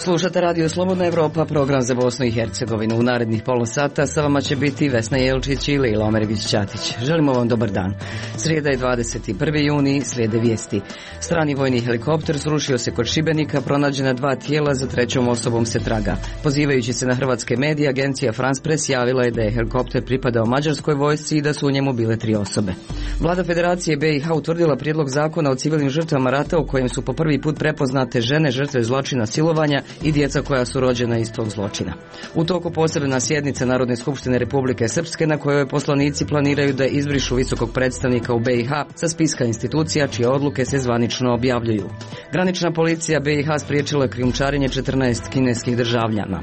Slušate Radio Slobodna Evropa, program za Bosnu i Hercegovinu. U narednih pola sata sa vama će biti Vesna Jelčić i Lila Omerević-Ćatić. Želimo vam dobar dan. Srijeda je 21. juni, slijede vijesti. Strani vojni helikopter srušio se kod Šibenika, pronađena 2 tijela, za 3. osobom se traga. Pozivajući se na hrvatske medije, agencija France Press javila je da je helikopter pripadao mađarskoj vojsci i da su u njemu bile 3 osobe. Vlada Federacije BiH utvrdila prijedlog zakona o civilnim žrtvama rata u kojem su po prvi put prepoznate žene žrtve zločina silovanja i djeca koja su rođena iz tog zločina. U toku posebna sjednica Narodne skupštine Republike Srpske na kojoj poslanici planiraju da izbrišu visokog predstavnika u BiH sa spiska institucija čije odluke se zvanično objavljuju. Granična policija BiH spriječila krijumčarenje 14 kineskih državljana.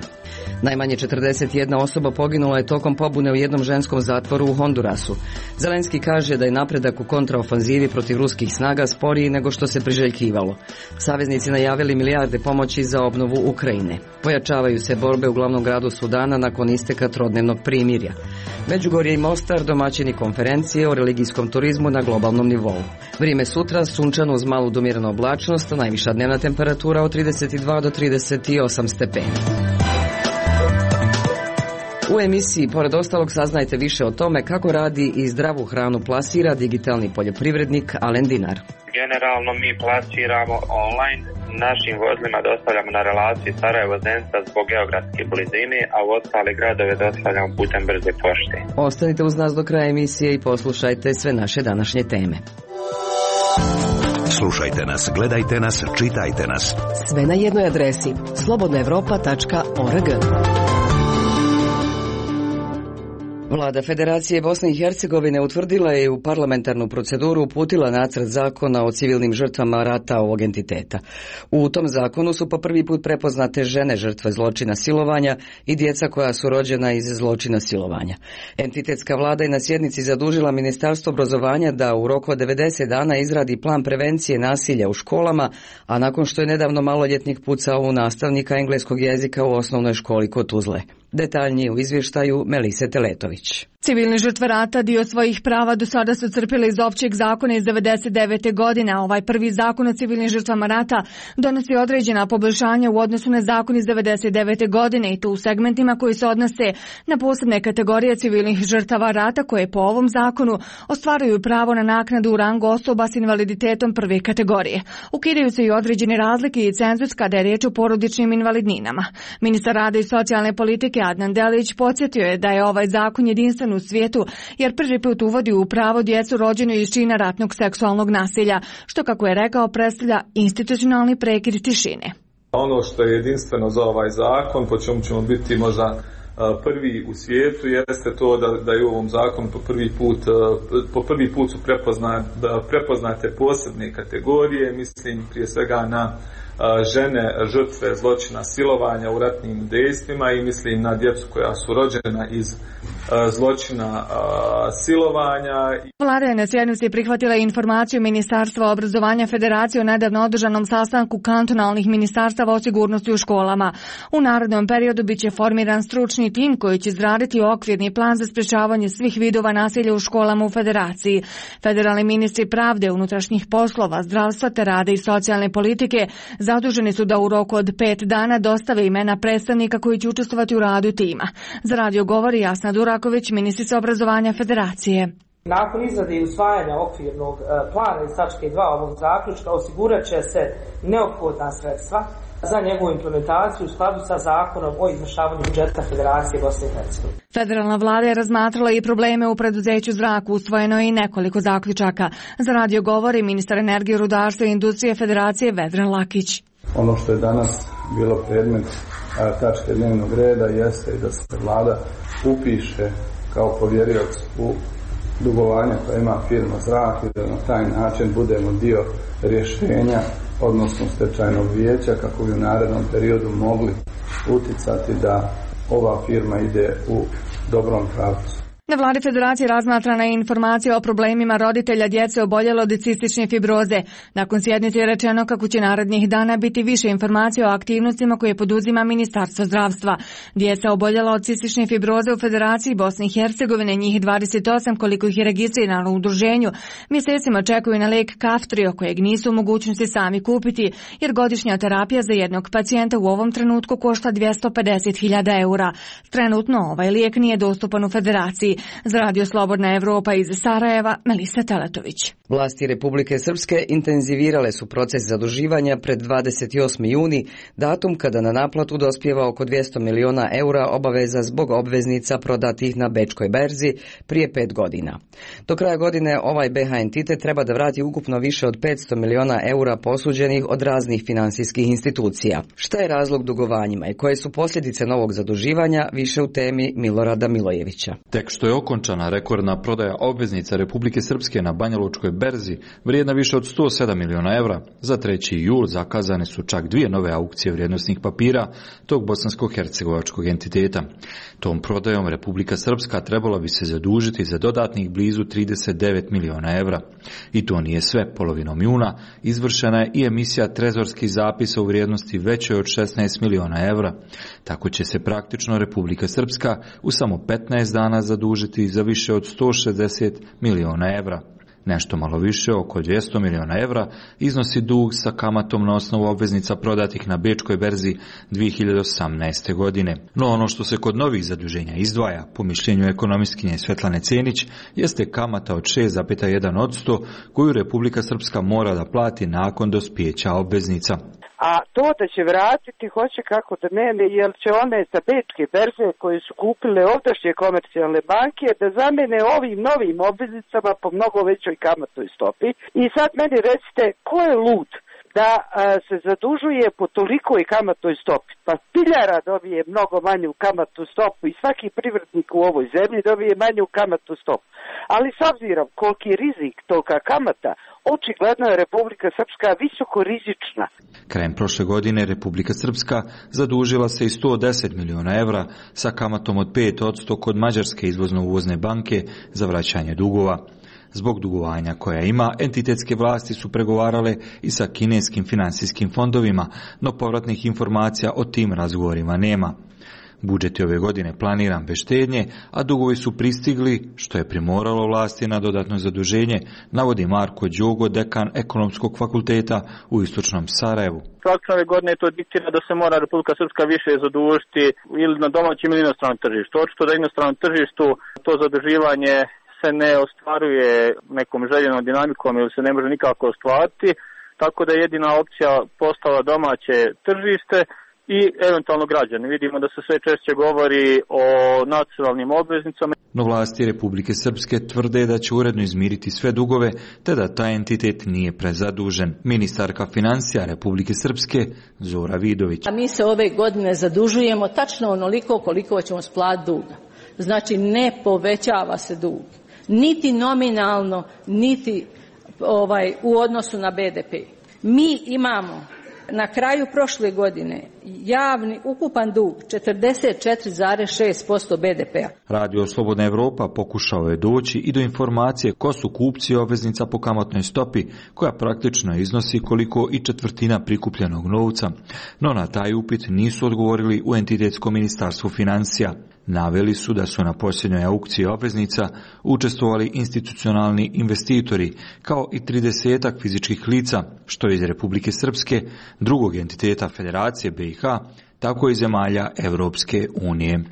Najmanje 41 osoba poginula je tokom pobune u jednom ženskom zatvoru u Hondurasu. Zelenski kaže da je napredak u kontraofanzivi protiv ruskih snaga sporiji nego što se priželjkivalo. Saveznici najavili milijarde pomoći za obnovu Ukrajine. Pojačavaju se borbe u glavnom gradu Sudana nakon isteka trodnevnog primirja. Međugorje i Mostar domaćini konferencije o religijskom turizmu na globalnom nivou. Vrijeme sutra sunčano uz malu do umjerenu oblačnost, najviša dnevna temperatura od 32 do 38 stepeni. U emisiji, pored ostalog, saznajte više o tome kako radi i zdravu hranu plasira digitalni poljoprivrednik Alen Dinar. Generalno mi plasiramo online, našim vozilima dostavljamo na relaciji Sarajevo-Zenica zbog geografske blizine, a u ostale gradove dostavljamo putem brze pošte. Ostanite uz nas do kraja emisije i poslušajte sve naše današnje teme. Slušajte nas, gledajte nas, čitajte nas. Sve na jednoj adresi slobodnaevropa.org. Vlada Federacije Bosne i Hercegovine utvrdila je u parlamentarnu proceduru uputila nacrt zakona o civilnim žrtvama rata ovog entiteta. U tom zakonu su po prvi put prepoznate žene žrtve zločina silovanja i djeca koja su rođena iz zločina silovanja. Entitetska vlada je na sjednici zadužila Ministarstvo obrazovanja da u roku od 90 dana izradi plan prevencije nasilja u školama, a nakon što je nedavno maloljetnik pucao u nastavnika engleskog jezika u osnovnoj školi kod Tuzle. Detaljnije u izvještaju Melise Teletović. Civilne žrtve rata dio svojih prava do sada su crpile iz općeg zakona iz 1999. godine, a ovaj prvi zakon o civilnim žrtvama rata donosi određena poboljšanja u odnosu na zakon iz 1999. godine i to u segmentima koji se odnose na posebne kategorije civilnih žrtava rata koje po ovom zakonu ostvaruju pravo na naknadu u rangu osoba s invaliditetom prve kategorije. Ukidaju se i određene razlike i cenzus kada je riječ o porodičnim invalidninama. Ministar rada i socijalne politike Adnan Delić podsjetio je da je ovaj zakon jedinstven u svijetu jer prvi put uvodi u pravo djecu rođenu iz čina ratnog seksualnog nasilja, što kako je rekao predstavlja institucionalni prekid tišine. Ono što je jedinstveno za ovaj zakon, po čemu ćemo biti možda prvi u svijetu, jeste to da je u ovom zakonu po prvi put su prepoznate posebne kategorije, mislim prije svega na žene žrtve zločina silovanja u ratnim dejstvima i mislim na djecu koja su rođena iz zločina silovanja. Vlada je na sjednici prihvatila informaciju Ministarstva obrazovanja Federacije o nedavno održanom sastanku kantonalnih ministarstava o sigurnosti u školama. U narednom periodu biće formiran stručni tim koji će izraditi okvirni plan za sprečavanje svih vidova nasilja u školama u Federaciji. Federalni ministri pravde, unutrašnjih poslova, zdravstva te rada i socijalne politike zaduženi su da u roku od 5 dana dostave imena predstavnika koji će učestvovati u radu tima. Za radio govori Jasna Duraković, ministrica obrazovanja Federacije. Nakon izrade i usvajanja okvirnog plana iz tačke 2 ovog zaključka osigurat će se neophodna sredstva za njegovu implementaciju u skladu sa zakonom o izvršavanju budžeta Federacije Bosne i Hercegovine. Federalna vlada je razmatrala i probleme u preduzeću Zrak, usvojeno je i nekoliko zaključaka. Za radio govori ministar energije, rudarstva i industrije Federacije Vedran Lakić. Ono što je danas bilo predmet tačke dnevnog reda jeste da se vlada upiše kao povjerilac u dugovanja koja ima firma Zrak i da na taj način budemo dio rješenja, odnosno stečajnog vijeća, kako bi u narednom periodu mogli uticati da ova firma ide u dobrom pravcu. Na vladi Federacije razmatrana je informacija o problemima roditelja djece oboljelo od cistične fibroze. Nakon sjednice je rečeno kako će narednih dana biti više informacija o aktivnostima koje poduzima Ministarstvo zdravstva. Djeca oboljela od cistične fibroze u Federaciji Bosne i Hercegovine, njih 28 koliko ih je registrirano u udruženju, mjesecima čekaju na lijek Kaftrio kojeg nisu u mogućnosti sami kupiti, jer godišnja terapija za jednog pacijenta u ovom trenutku košta 250.000 eura. Trenutno ovaj lijek nije dostupan u Federaciji. Za Radio Slobodna Evropa iz Sarajeva, Melisa Teletović. Vlasti Republike Srpske intenzivirale su proces zaduživanja pred 28. juni, datum kada na naplatu dospijeva oko 200 miliona eura obaveza zbog obveznica prodatih na bečkoj berzi prije 5 godina. Do kraja godine ovaj BH entitet treba da vrati ukupno više od 500 miliona eura posuđenih od raznih finansijskih institucija. Šta je razlog dugovanjima i koje su posljedice novog zaduživanja, više u temi Milorada Milojevića. Tek što je okončana rekordna prodaja obveznica Republike Srpske na Banjalučkoj berzi, vrijedna više od 107 miliona evra, za 3. jul zakazane su čak 2 nove aukcije vrijednosnih papira tog bosansko-hercegovačkog entiteta. Tom prodajom Republika Srpska trebala bi se zadužiti za dodatnih blizu 39 miliona evra. I to nije sve. Polovinom juna izvršena je i emisija trezorskih zapisa u vrijednosti većoj od 16 miliona evra. Tako će se praktično Republika Srpska u samo 15 dana zadužiti za više od 160 miliona evra. Nešto malo više, oko 200 miliona evra, iznosi dug sa kamatom na osnovu obveznica prodatih na bečkoj berzi 2018. godine. No ono što se kod novih zaduženja izdvaja, po mišljenju ekonomistkinje Svetlane Cenić, jeste kamata od 6,1% koju Republika Srpska mora da plati nakon dospijeća obveznica. A to da će vratiti, hoće kako da ne, jer će one sa bečke berze koje su kupile ovdašnje komercijalne banke da zamene ovim novim obveznicama po mnogo većoj kamatnoj stopi. I sad meni recite, ko je lud da se zadužuje po tolikoj kamatnoj stopi? Pa piljara dobije mnogo manju kamatnu stopu i svaki privrednik u ovoj zemlji dobije manju kamatnu stopu. Ali s obzirom koliki je rizik toga kamata, očigledno je Republika Srpska visoko rizična. Krajem prošle godine Republika Srpska zadužila se i 110 miliona evra sa kamatom od 5% kod Mađarske izvozno-uvozne banke za vraćanje dugova. Zbog dugovanja koja ima, entitetske vlasti su pregovarale i sa kineskim finansijskim fondovima, no povratnih informacija o tim razgovorima nema. Budžet je ove godine planiran bez štednje, a dugovi su pristigli, što je primoralo vlasti na dodatno zaduženje, navodi Marko Đogo, dekan Ekonomskog fakulteta u istočnom Sarajevu. Praktično ove godine to diktira da se mora Republika Srpska više zadužiti ili na domaćem ili inostranom tržištu. Očito da inostranom tržištu to zaduživanje se ne ostvaruje nekom željenom dinamikom ili se ne može nikako ostvariti, tako da je jedina opcija postala domaće tržište i eventualno građani. Vidimo da se sve češće govori o nacionalnim obveznicama. No vlasti Republike Srpske tvrde da će uredno izmiriti sve dugove, te da taj entitet nije prezadužen. Ministarka financija Republike Srpske Zora Vidović. A mi se ove godine zadužujemo tačno onoliko koliko ćemo splatiti duga. Znači ne povećava se dug. Niti nominalno, niti u odnosu na BDP. Mi imamo na kraju prošle godine javni ukupan dug 44,6% BDP-a. Radio Slobodna Evropa pokušao je doći i do informacije ko su kupci obveznica po kamatnoj stopi, koja praktično iznosi koliko i četvrtina prikupljenog novca. No na taj upit nisu odgovorili u entitetskom ministarstvu financija. Naveli su da su na posljednjoj aukciji obveznica učestvovali institucionalni investitori, kao i 30 fizičkih lica, što iz Republike Srpske, drugog entiteta Federacije BiH, tako i zemalja Evropske unije.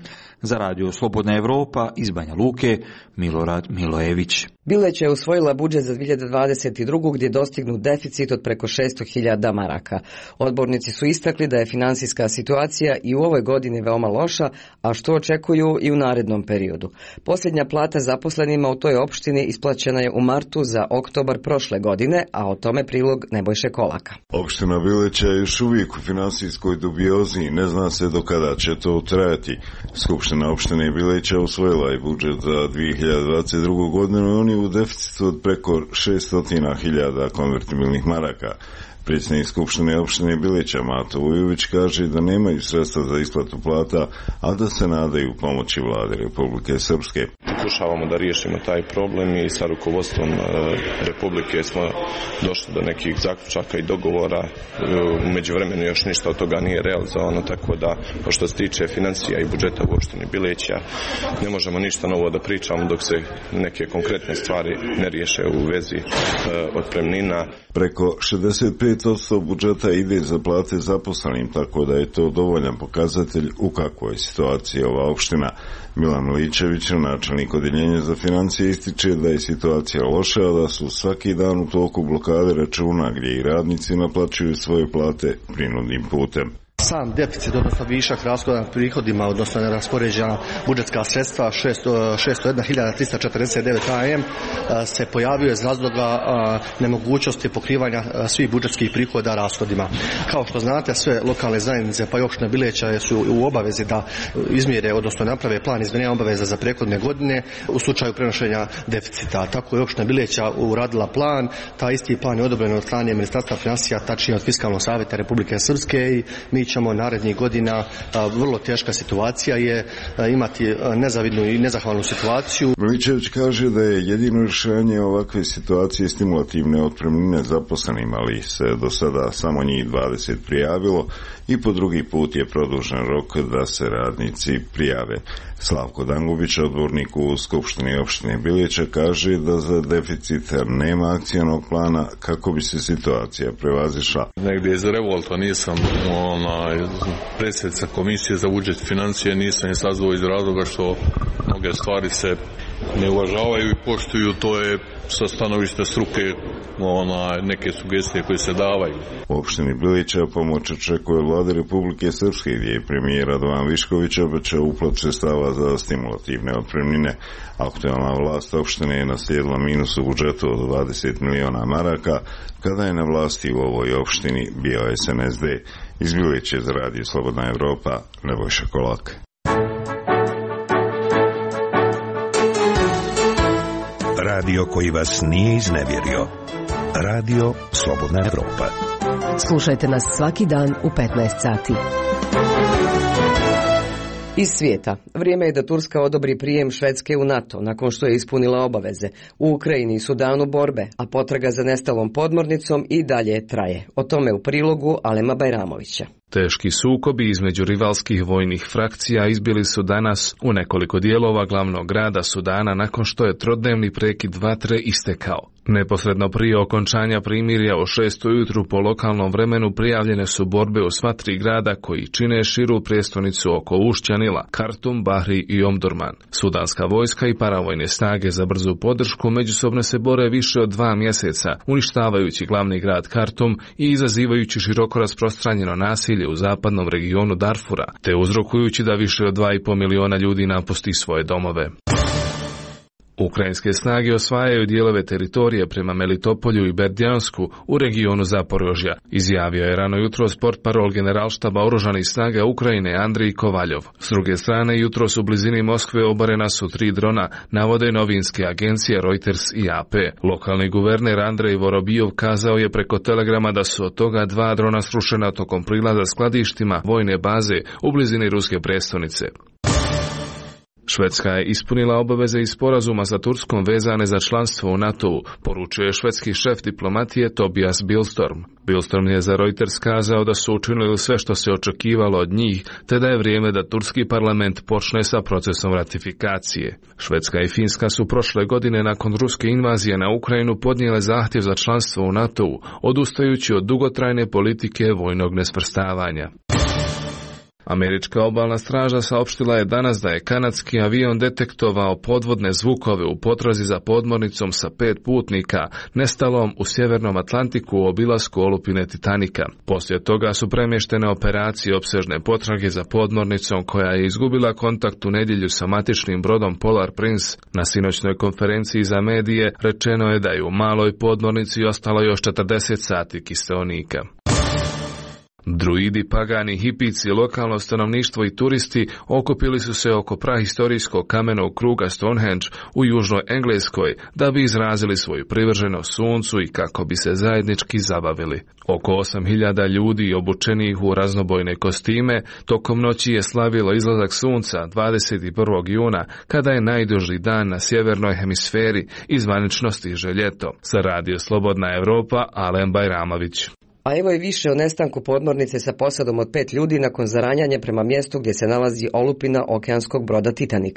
Za Radio Slobodna Evropa iz Banja Luke, Milorad Milojević. Bileć je usvojila budžet za 2022. gdje je dostignut deficit od preko 600.000 maraka. Odbornici su istakli da je finansijska situacija i u ovoj godini veoma loša, a što očekuju i u narednom periodu. Posljednja plata zaposlenima u toj opštini isplaćena je u martu za oktobar prošle godine, a o tome prilog Nebojše Kolaka. Opština Bileć je još uvijek u finansijskoj dubiozi, ne zna se do kada će to trajati. Skupština opštine Bileća usvojila i budžet za 2022. godinu i on je u deficitu od preko 600.000 konvertibilnih maraka. Predsjednik Skupštine opštine Bilića Mato Vujović kaže da nemaju sredstva za isplatu plata, a da se nadaju pomoći vlade Republike Srpske. Pokušavamo da riješimo taj problem i sa rukovodstvom Republike smo došli do nekih zaključaka i dogovora. U međuvremenu još ništa od toga nije realizovano, tako da što se tiče financija i budžeta u opštini Bilića ne možemo ništa novo da pričamo dok se neke konkretne stvari ne riješe u vezi otpremnina. Preko 65% budžeta ide za plate zaposlenim, tako da je to dovoljan pokazatelj u kakvoj situaciji ova opština. Milan Miličević, načelnik odeljenja za financije, ističe da je situacija loša, da su svaki dan u toku blokade računa gdje i radnici naplaćuju svoje plate prinudnim putem. Sam deficit, odnosno višak rashoda nad prihodima, odnosno neraspoređena budžetska sredstva 601.349 AM se pojavio iz razloga nemogućnosti pokrivanja svih budžetskih prihoda rashodima. Kao što znate, sve lokalne zajednice pa i opština Bilića su u obavezi da izmjere, odnosno naprave plan izmirenja obaveza za prethodne godine u slučaju prenošenja deficita. Tako je opština Bilića uradila plan, taj isti plan je odobren od strane Ministarstva financija, tačnije od Fiskalnog savjeta Republike Srpske, i mi ćemo narednih godina, vrlo teška situacija je, imati nezavidnu i nezahvalnu situaciju. Miličević kaže da je jedino rješenje ovakve situacije stimulativne otpremnine zaposlenim, ali se do sada samo njih 20 prijavilo i po drugi put je produžen rok da se radnici prijave. Slavko Dangubić, odbornik u Skupštini opštine Bilića, kaže da za deficit nema akcionog plana kako bi se situacija prevazišla. Negdje iz revolta nisam predsjednica Komisije za budžet financije, nisam je sazvao iz razloga što mnoge stvari se ne uvažavaju i poštuju, to je sa stanovišta struke neke sugestije koje se davaju. U opštini Bilića pomoć očekuje vlade Republike Srpske, gdje je premijer Radovan Višković obećao uplat sredstava za stimulativne otpremnine. Aktualna vlast opštine je naslijedila minus u budžetu od 20 miliona maraka, kada je na vlasti u ovoj opštini bio SNSD. Iz Bilića za Radio Slobodna Evropa, Nebojša Kolak. Radio koji vas nije iznevjerio. Radio Slobodna Evropa. Slušajte nas svaki dan u 15 sati. Iz svijeta. Vrijeme je da Turska odobri prijem Švedske u NATO nakon što je ispunila obaveze. U Ukrajini i Sudanu borbe, a potraga za nestalom podmornicom i dalje traje. O tome u prilogu Alema Bajramovića. Teški sukobi između rivalskih vojnih frakcija izbili su danas u nekoliko dijelova glavnog grada Sudana nakon što je trodnevni prekid vatre istekao. Neposredno prije okončanja primirja o 6 ujutru po lokalnom vremenu prijavljene su borbe u sva tri grada koji čine širu prijestolnicu oko ušća Nila, Kartum, Bahri i Omdurman. Sudanska vojska i paravojne snage za brzu podršku međusobno se bore više od 2 mjeseca, uništavajući glavni grad Kartum i izazivajući široko rasprostranjeno nasilje u zapadnom regionu Darfura, te uzrokujući da više od 2,5 miliona ljudi napusti svoje domove. Ukrajinske snage osvajaju dijelove teritorije prema Melitopolju i Berdjansku u regionu Zaporožja, izjavio je rano jutros portparol generalštaba oružanih snaga Ukrajine Andrij Kovaljov. S druge strane, jutros u blizini Moskve obarena su 3 drona, navode novinske agencije Reuters i AP. Lokalni guverner Andrej Vorobijov kazao je preko telegrama da su od toga 2 drona srušena tokom prilaza skladištima vojne baze u blizini ruske prijestolnice. Švedska je ispunila obaveze iz sporazuma sa Turskom vezane za članstvo u NATO-u, poručuje švedski šef diplomatije Tobias Billström. Billström je za Reuters kazao da su učinili sve što se očekivalo od njih, te da je vrijeme da turski parlament počne sa procesom ratifikacije. Švedska i Finska su prošle godine nakon ruske invazije na Ukrajinu podnijele zahtjev za članstvo u NATO-u, odustajući od dugotrajne politike vojnog nesvrstavanja. Američka obalna straža saopštila je danas da je kanadski avion detektovao podvodne zvukove u potrazi za podmornicom sa 5 putnika nestalom u Sjevernom Atlantiku u obilasku olupine Titanika. Poslije toga su premještene operacije opsežne potrage za podmornicom koja je izgubila kontakt u nedjelju sa matičnim brodom Polar Prince. Na sinoćnoj konferenciji za medije rečeno je da je u maloj podmornici ostalo još 40 sati kiseonika. Druidi, pagani, hipici, lokalno stanovništvo i turisti okupili su se oko prahistorijskog kamenog kruga Stonehenge u južnoj Engleskoj da bi izrazili svoju privrženost suncu i kako bi se zajednički zabavili. Oko 8.000 ljudi obučenih u raznobojne kostime tokom noći je slavilo izlazak sunca 21. juna, kada je najduži dan na sjevernoj hemisferi i zvanično stiže ljeto. Za Radio Slobodna Evropa, Alen Bajramović. A evo i više o nestanku podmornice sa posadom od 5 ljudi nakon zaranjanja prema mjestu gdje se nalazi olupina okeanskog broda Titanic.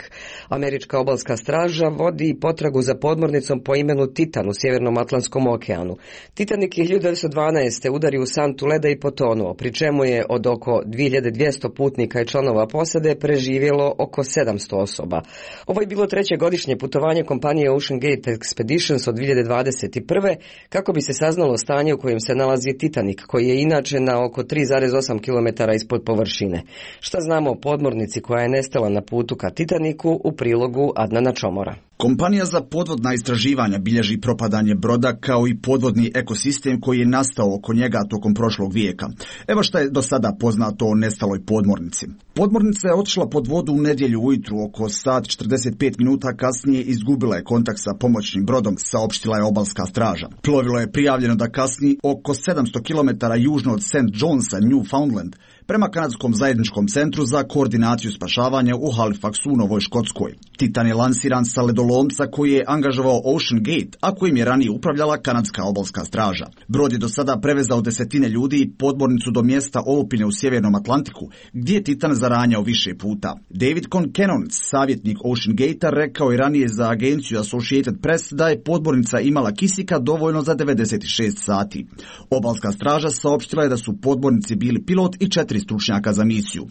Američka obalska straža vodi potragu za podmornicom po imenu Titan u Sjevernom Atlantskom okeanu. Titanic je 1912. udario u santu leda i potonuo, pri čemu je od oko 2200 putnika i članova posade preživjelo oko 700 osoba. Ovo je bilo treće godišnje putovanje kompanije Ocean Gate Expeditions od 2021. kako bi se saznalo stanje u kojem se nalazi Titanic, koji je inače na oko 3,8 km ispod površine. Šta znamo o podmornici koja je nestala na putu ka Titaniku u prilogu Adnana Čomora? Kompanija za podvodna istraživanja bilježi propadanje broda kao i podvodni ekosistem koji je nastao oko njega tokom prošlog vijeka. Evo šta je do sada poznato o nestaloj podmornici. Podmornica je otišla pod vodu u nedjelju ujutru, oko sat 45 minuta kasnije izgubila je kontakt sa pomoćnim brodom, saopštila je obalska straža. Plovilo je prijavljeno da kasni oko 700 km južno od St. Johnsa, Newfoundland, prema Kanadskom zajedničkom centru za koordinaciju spašavanja u Halifaxu u Novoj Škotskoj. Titan je lansiran sa ledolomca koji je angažovao Ocean Gate, a kojim je ranije upravljala Kanadska obalska straža. Brod je do sada prevezao desetine ljudi i podmornicu do mjesta olupine u Sjevernom Atlantiku, gdje je Titan zaranjao više puta. David Concannon, savjetnik Ocean Gate-a, rekao je ranije za agenciju Associated Press da je podmornica imala kisika dovoljno za 96 sati. Obalska straža saopštila je da su podmornici bili pilot i 4 stručnjaka za misiju.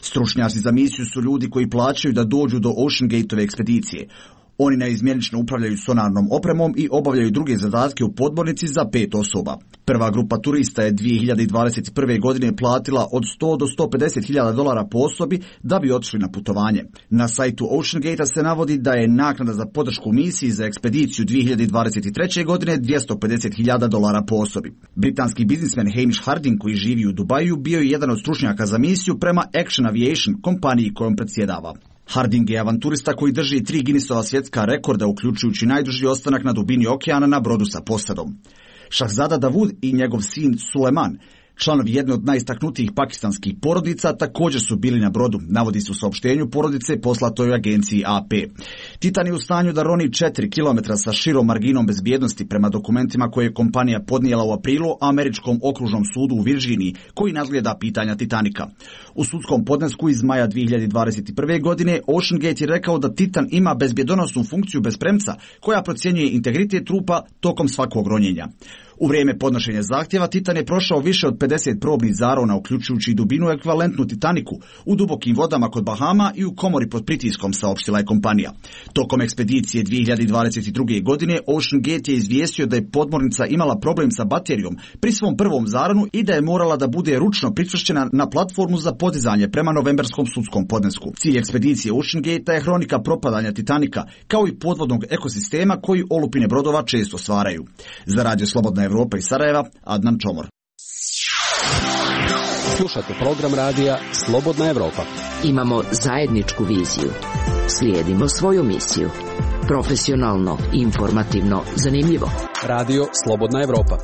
Stručnjaci za misiju su ljudi koji plaćaju da dođu do Ocean Gate-ove ekspedicije. Oni neizmjenično upravljaju sonarnom opremom i obavljaju druge zadatke u podmornici za 5 osoba. Prva grupa turista je 2021. godine platila od 100 do 150.000 dolara po osobi da bi otišli na putovanje. Na sajtu Ocean Gate-a se navodi da je naknada za podršku misiji za ekspediciju 2023. godine 250.000 dolara po osobi. Britanski biznismen Hamish Harding, koji živi u Dubaju, bio je jedan od stručnjaka za misiju prema Action Aviation, kompaniji kojom predsjedava. Harding je avanturista koji drži 3 Guinnessova svjetska rekorda, uključujući najduži ostanak na dubini okeana na brodu sa posadom. Šahzada Davud i njegov sin Suleman, članovi jedne od najistaknutijih pakistanskih porodica, također su bili na brodu, navodi se u saopštenju porodice poslatoj agenciji AP. Titan je u stanju da roni 4 km sa širom marginom bezbjednosti prema dokumentima koje je kompanija podnijela u aprilu Američkom okružnom sudu u Virginiji, koji nadgleda pitanja Titanika. U sudskom podnesku iz maja 2021. godine Ocean Gate je rekao da Titan ima bezbjedonosnu funkciju bez premca koja procjenjuje integritet trupa tokom svakog ronjenja. U vrijeme podnošenja zahtjeva Titan je prošao više od 50 probnih zarona, uključujući dubinu ekvivalentnu Titaniku, u dubokim vodama kod Bahama i u komori pod pritiskom, saopštila je kompanija. Tokom ekspedicije 2022. godine Ocean Gate je izvijestio da je podmornica imala problem sa baterijom pri svom prvom zaronu i da je morala da bude ručno pričvršćena na platformu za podizanje prema novembarskom sudskom podnesku. Cilj ekspedicije Ocean Gate je hronika propadanja Titanika, kao i podvodnog ekosistema koji olupine brodova često stvaraju. Za Radio Slobodna Evropa iz Sarajeva, Adnan Čomor. Slušate program radija Slobodna Evropa. Imamo zajedničku viziju. Slijedimo svoju misiju. Profesionalno, informativno, zanimljivo. Radio Slobodna Evropa.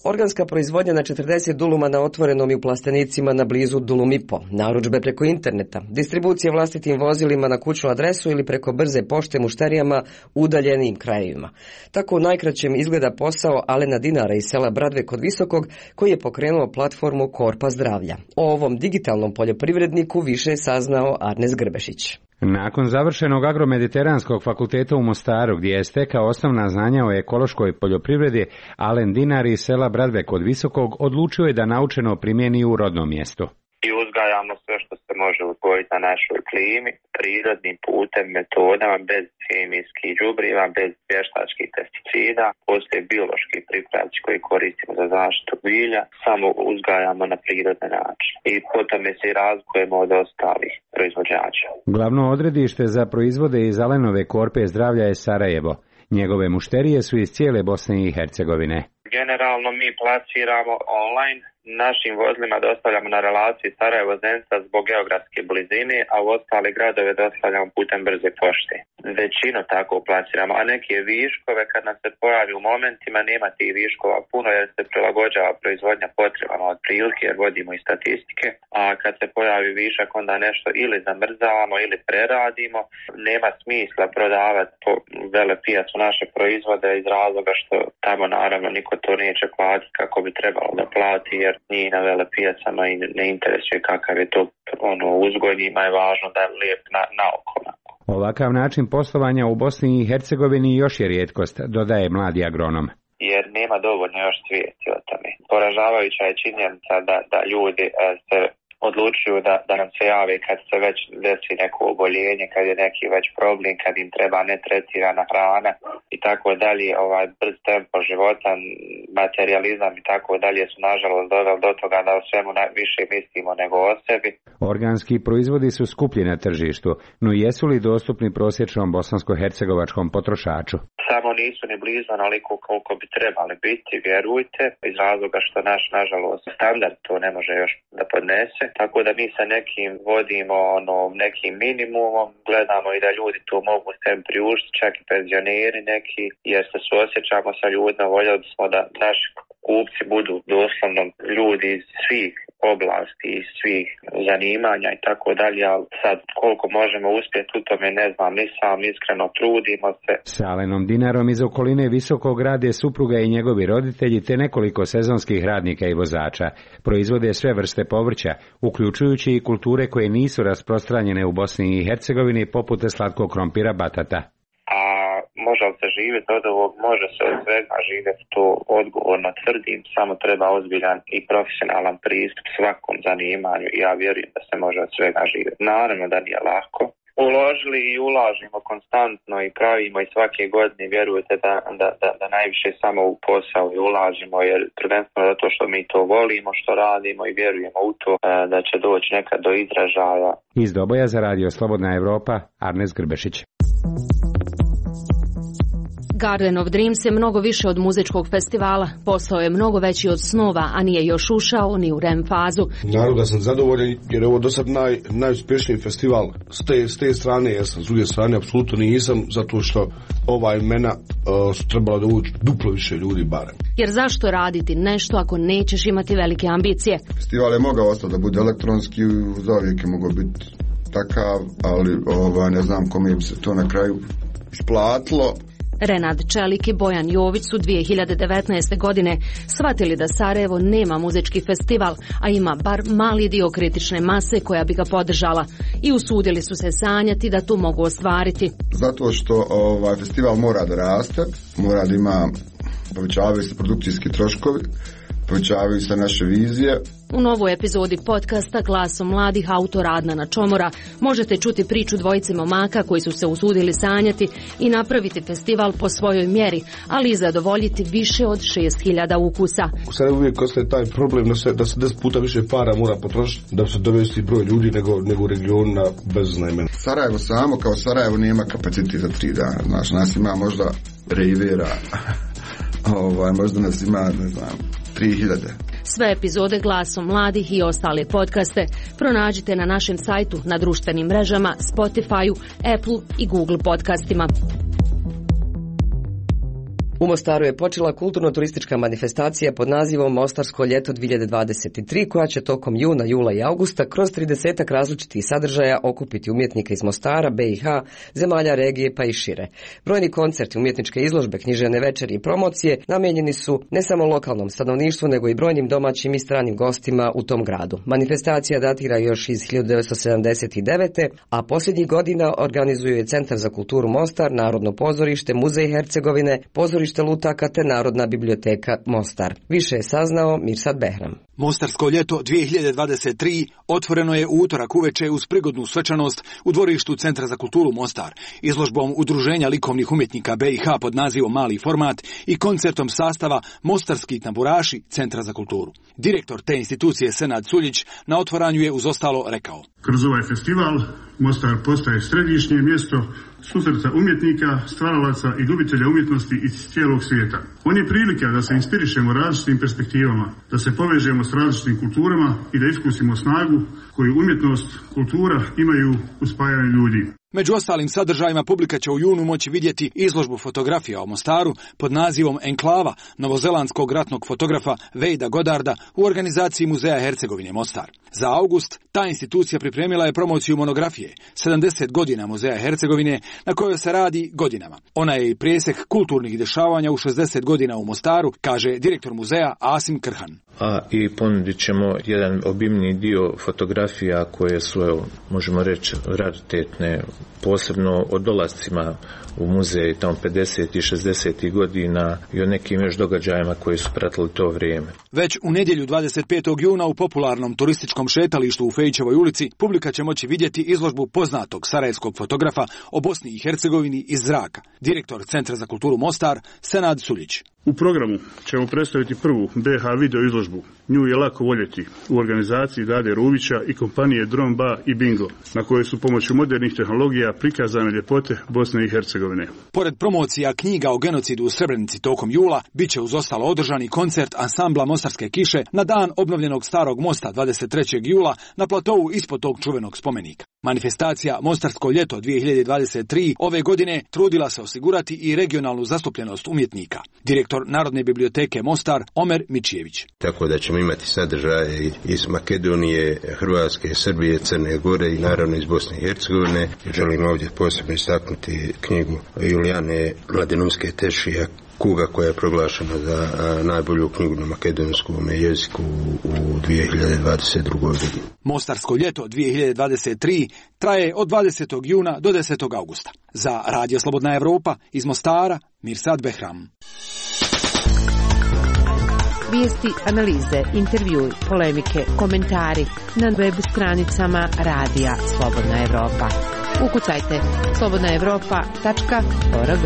Organska proizvodnja na 40 duluma na otvorenom i u plastenicima na blizu Dulumipo, narudžbe preko interneta, distribucija vlastitim vozilima na kućnu adresu ili preko brze pošte mušterijama u udaljenijim krajevima. Tako u najkraćem izgleda posao Alena Dinara iz sela Bradve kod Visokog, koji je pokrenuo platformu Korpa zdravlja. O ovom digitalnom poljoprivredniku više je saznao Arnes Grbešić. Nakon završenog agromediteranskog fakulteta u Mostaru, gdje je stekao osnovna znanja o ekološkoj poljoprivredi, Alen Dinar iz sela Bradve kod Visokog odlučio je da naučeno primjeni u rodnom mjestu. I uzgajamo sve što se može uzgojiti na našoj klimi, prirodnim putem, metodama, bez hemijskih đubriva, bez vještačkih pesticida. Postoje biološki pripravci koji koristimo za zaštitu bilja, samo uzgajamo na prirodni način. I potom se i razlikujemo od ostalih proizvođača. Glavno odredište za proizvode iz Alenove Korpe zdravlja je Sarajevo. Njegove mušterije su iz cijele Bosne i Hercegovine. Generalno mi plasiramo online našim vozilima dostavljamo na relaciji Sarajevo-Zenica zbog geografske blizine, a u ostale gradove dostavljamo putem brze pošte. Većinu tako plasiramo, a neke viškove kad nam se pojavi u momentima nema tih viškova puno jer se prilagođava proizvodnja potrebama od prilike jer vodimo i statistike, a kad se pojavi višak onda nešto ili zamrzavamo ili preradimo. Nema smisla prodavati po velepijacu naše proizvode iz razloga što tamo naravno niko to neće platiti kako bi trebalo da plati jer nije na velepijacama i ne interesuje kakav je to uzgoj, njima je važno da je lijep na oko. Ovakav način poslovanja u Bosni i Hercegovini još je rijetkost, dodaje mladi agronom. Jer nema dovoljno još svijesti o tome. Poražavajuća je činjenica da ljudi se odlučuju da nam se jave kad se već desi neko oboljenje, kad je neki već problem, kad im treba netretirana hrana i tako dalje. Brz tempo života, materializam i tako dalje su nažalost doveli do toga da o svemu više mislimo nego o sebi. Organski proizvodi su skuplji na tržištu, no jesu li dostupni prosječnom bosansko-hercegovačkom potrošaču? Samo nisu ni blizu onoliko koliko bi trebali biti, vjerujte, iz razloga što nažalost standard to ne može još da podnese. Tako da mi sa nekim vodimo nekim minimumom, gledamo i da ljudi to mogu sebi priuštiti, čak i penzioneri neki, jer se suosjećamo sa ljudima, voljeli smo da naši kupci budu doslovno ljudi iz svih oblasti, iz svih zanimanja i tako dalje, ali sad koliko možemo uspjeti u tome ne znam, ni sam iskreno trudimo se. S Alenom Dinarom iz okoline Visokog rade supruga i njegovi roditelji te nekoliko sezonskih radnika i vozača. Proizvode sve vrste povrća, uključujući i kulture koje nisu rasprostranjene u Bosni i Hercegovini poput slatkog krompira batata. Može li se živjeti od ovog? Može se od svega živjeti, to odgovorno tvrdim, samo treba ozbiljan i profesionalan pristup svakom zanimanju i ja vjerujem da se može od svega živjeti. Naravno da nije lako. Uložili i ulažimo konstantno i pravimo i svake godine, vjerujete da najviše samo u posao i ulažimo, jer prvenstveno zato što mi to volimo, što radimo i vjerujemo u to da će doći nekad do izražaja. Iz Doboja za Radio Slobodna Evropa, Arnes Grbešić. Garden of Dreams je mnogo više od muzičkog festivala, postao je mnogo veći od snova, a nije još ušao ni u REM fazu. Naravno da sam zadovoljan jer je ovo do sad najuspješniji festival s te strane, jer sam s druge strane apsolutno nisam, zato što ova imena su trebala da uđu duplo više ljudi barem. Jer zašto raditi nešto ako nećeš imati velike ambicije? Festival je mogao ostati da bude elektronski, zauvijek je mogao biti takav, ali ne znam kome bi se to na kraju isplatilo. Renad Čelik i Bojan Jović su 2019. godine shvatili da Sarajevo nema muzički festival, a ima bar mali dio kritične mase koja bi ga podržala i usudili su se sanjati da tu mogu ostvariti. Zato što festival mora da raste, mora da ima, povećavaju se produkcijski troškovi, povećavaju se naše vizije. U novoj epizodi podcasta Glasom mladih autora Adnana Čomora možete čuti priču dvojice momaka koji su se usudili sanjati i napraviti festival po svojoj mjeri, ali i zadovoljiti više od 6000 ukusa. U Sarajevu uvijek ostaje taj problem da se 10 puta više para mora potrošiti da se dovesti broj ljudi nego u regionu na beznajmena. Sarajevo samo kao Sarajevo nema kapacitet za 3 dana. Znaš, nas ima možda Rivera, možda nas ima, ne znam, 3000. Sve epizode Glasom mladih i ostale podcaste pronađite na našem sajtu, na društvenim mrežama, Spotify-u, Apple i Google podcastima. U Mostaru je počela kulturno-turistička manifestacija pod nazivom Mostarsko ljeto 2023, koja će tokom juna, jula i augusta kroz 30 različitih sadržaja okupiti umjetnike iz Mostara, BiH, zemalja regije pa i šire. Brojni koncerti, umjetničke izložbe, književne večeri i promocije namijenjeni su ne samo lokalnom stanovništvu, nego i brojnim domaćim i stranim gostima u tom gradu. Manifestacija datira još iz 1979. a posljednjih godina organizuju je Centar za kulturu Mostar, Narodno pozorište, Muzej Hercegovine, pozorište lutaka te Narodna biblioteka Mostar. Više je saznao Mirsad Behram. Mostarsko ljeto 2023 otvoreno je u utorak uveče uz prigodnu svečanost u dvorištu Centra za kulturu Mostar, izložbom Udruženja likovnih umjetnika BiH pod nazivom Mali format i koncertom sastava Mostarski tamburaši Centra za kulturu. Direktor te institucije Senad Suljić na otvaranju je uz ostalo rekao: Kroz ovaj festival Mostar postaje središnje mjesto susreta umjetnika, stvaralaca i ljubitelja umjetnosti iz cijelog svijeta. On je prilika da se inspirišemo različitim perspektivama, da se povežemo s različitim kulturama i da iskusimo snagu koju umjetnost, kultura imaju u spajanju ljudi. Među ostalim sadržajima publika će u junu moći vidjeti izložbu fotografija o Mostaru pod nazivom Enklava novozelandskog ratnog fotografa Vejda Godarda u organizaciji Muzeja Hercegovine Mostar. Za august ta institucija pripremila je promociju monografije 70 godina Muzeja Hercegovine na kojoj se radi godinama. Ona je i presjek kulturnih dešavanja u 60 godina u Mostaru, kaže direktor muzeja Asim Krhan. A i ponudit ćemo jedan obimni dio fotografija koje su, možemo reći, raritetne, posebno o dolascima u muzej tamo 50. i 60. godina i o nekim još događajima koji su pratili to vrijeme. Već u nedjelju 25. juna u popularnom turističkom šetalištu u Fejićevoj ulici publika će moći vidjeti izložbu poznatog sarajevskog fotografa o Bosni i Hercegovini iz zraka, direktor Centra za kulturu Mostar Senad Suljić. U programu ćemo predstaviti prvu BH video izložbu Nju je lako voljeti u organizaciji Dade Ruvića i kompanije Dron Ba i Bingo, na kojoj su pomoću modernih tehnologija prikazane ljepote Bosne i Hercegovine. Pored promocija knjiga o genocidu u Srebrenici tokom jula, bit će uz ostalo održani koncert ansambla Mostarske kiše na dan obnovljenog Starog mosta 23. jula na platovu ispod tog čuvenog spomenika. Manifestacija Mostarsko ljeto 2023 ove godine trudila se osigurati i regionalnu zastupljenost umjetnika. Direktor Narodne biblioteke Mostar Omer Mičijević. Tako da ćemo imati sadržaje iz Makedonije, Hrvatske, Srbije, Crne Gore i naravno iz Bosne i Hercegovine. Želim ovdje posebno istaknuti knjigu Julijane Mladenovske Tešija Kuga, koja je proglašena za najbolju knjigu na makedonskom jeziku u 2022. godini. Mostarsko ljeto 2023 traje od 20. juna do 10. augusta. Za Radio Slobodna Evropa iz Mostara, Mirsad Behram. Vijesti, analize, intervjui, polemike, komentari na web stranicama Radija Slobodna Evropa. Ukucajte slobodnaevropa.org.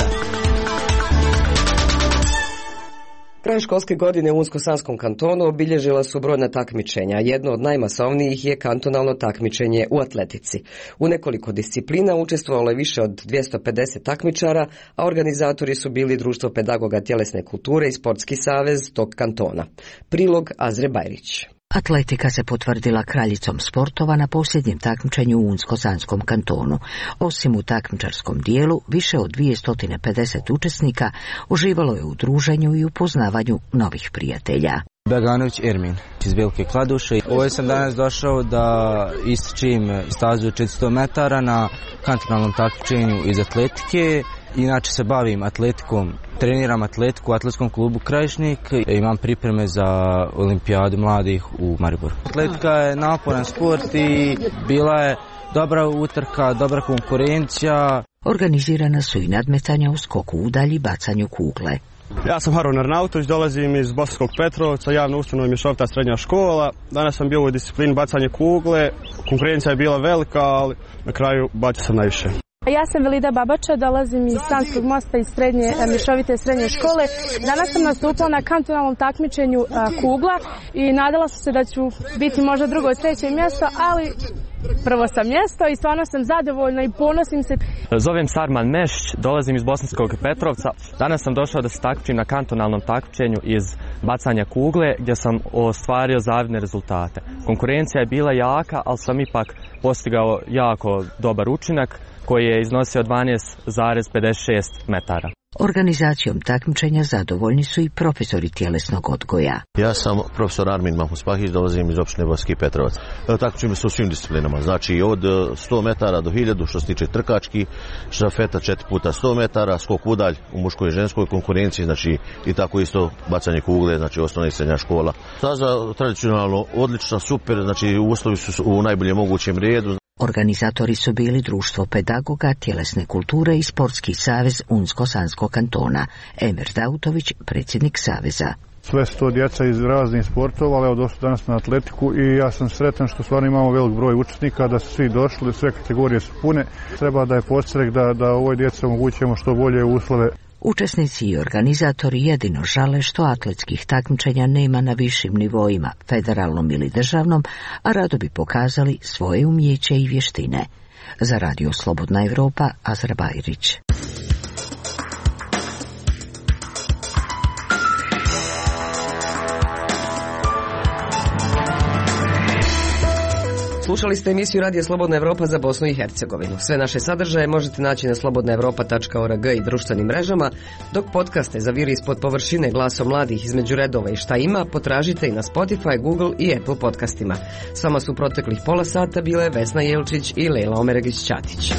Kraj školske godine u Unsko-Sanskom kantonu obilježila su brojna takmičenja. Jedno od najmasovnijih je kantonalno takmičenje u atletici. U nekoliko disciplina učestvovalo je više od 250 takmičara, a organizatori su bili Društvo pedagoga tjelesne kulture i Sportski savez tog kantona. Prilog Azre Bajrić. Atletika se potvrdila kraljicom sportova na posljednjem takmičenju u Unsko-Sanskom kantonu. Osim u takmičarskom dijelu, više od 250 učesnika uživalo je u druženju i upoznavanju novih prijatelja. Beganović Ermin iz Velike Kladuše. Ovdje sam danas došao da istrčim stazu 400 metara na kantonalnom takmičenju iz atletike. Inače se bavim atletikom, treniram atletiku u atletskom klubu Krajišnik, imam pripreme za olimpijadu mladih u Mariboru. Atletika je naporan sport i bila je dobra utrka, dobra konkurencija. Organizirana su i nadmetanja u skoku udalji i bacanju kugle. Ja sam Haron Arnautović, dolazim iz Bosanskog Petrovca, javna ustanova Mješovita srednja škola. Danas sam bio u disciplini bacanje kugle, konkurencija je bila velika, ali na kraju bacio sam najviše. Ja sam Velida Babača, dolazim iz Sanskog mosta iz Mješovite srednje škole. Danas sam nastupila na kantonalnom takmičenju kugla i nadala sam se da ću biti možda drugo i treće mjesto, ali prvo sam mjesto i stvarno sam zadovoljna i ponosim se. Zovem Sarman Mešć, dolazim iz Bosanskog Petrovca. Danas sam došao da se takmičim na kantonalnom takmičenju iz bacanja kugle gdje sam ostvario zavidne rezultate. Konkurencija je bila jaka, ali sam ipak postigao jako dobar učinak koji je iznosio 12,56 metara. Organizacijom takmičenja zadovoljni su i profesori tjelesnog odgoja. Ja sam profesor Armin Mahmuspahić, dolazim iz opštine Bosanski Petrovac. Takmičimo se u svim disciplinama, znači od 100 metara do 1000 što se tiče trkački, štafeta 4 puta 100 metara, skok udalj u muškoj i ženskoj konkurenciji, znači i tako isto bacanje kugle, znači osnovna i srednja škola. Staza tradicionalno odlična, super, znači uslovi su u najboljem mogućem redu. Organizatori su bili Društvo pedagoga tjelesne kulture i Sportski savez Unsko-Sanskog kantona. Emir Dautović, predsjednik saveza. Sve su to djeca iz raznih sportova, ali evo došli danas na atletiku i ja sam sretan što stvarno imamo velik broj učesnika, da su svi došli, sve kategorije su pune. Treba da je podstrek da ovoj djeci omogućujemo što bolje uslove. Učesnici i organizatori jedino žale što atletskih takmičenja nema na višim nivoima, federalnom ili državnom, a rado bi pokazali svoje umjeće i vještine. Za Radio Slobodna Evropa, Azra Bajrić. Slušali ste emisiju Radija Slobodna Evropa za Bosnu i Hercegovinu. Sve naše sadržaje možete naći na slobodnaevropa.org i društvenim mrežama, dok podcaste za Viri ispod površine, Glasom mladih, Između redova i Šta ima potražite i na Spotify, Google i Apple podcastima. S vama su proteklih pola sata bile Vesna Jelčić i Lejla Omeregić-Ćatić.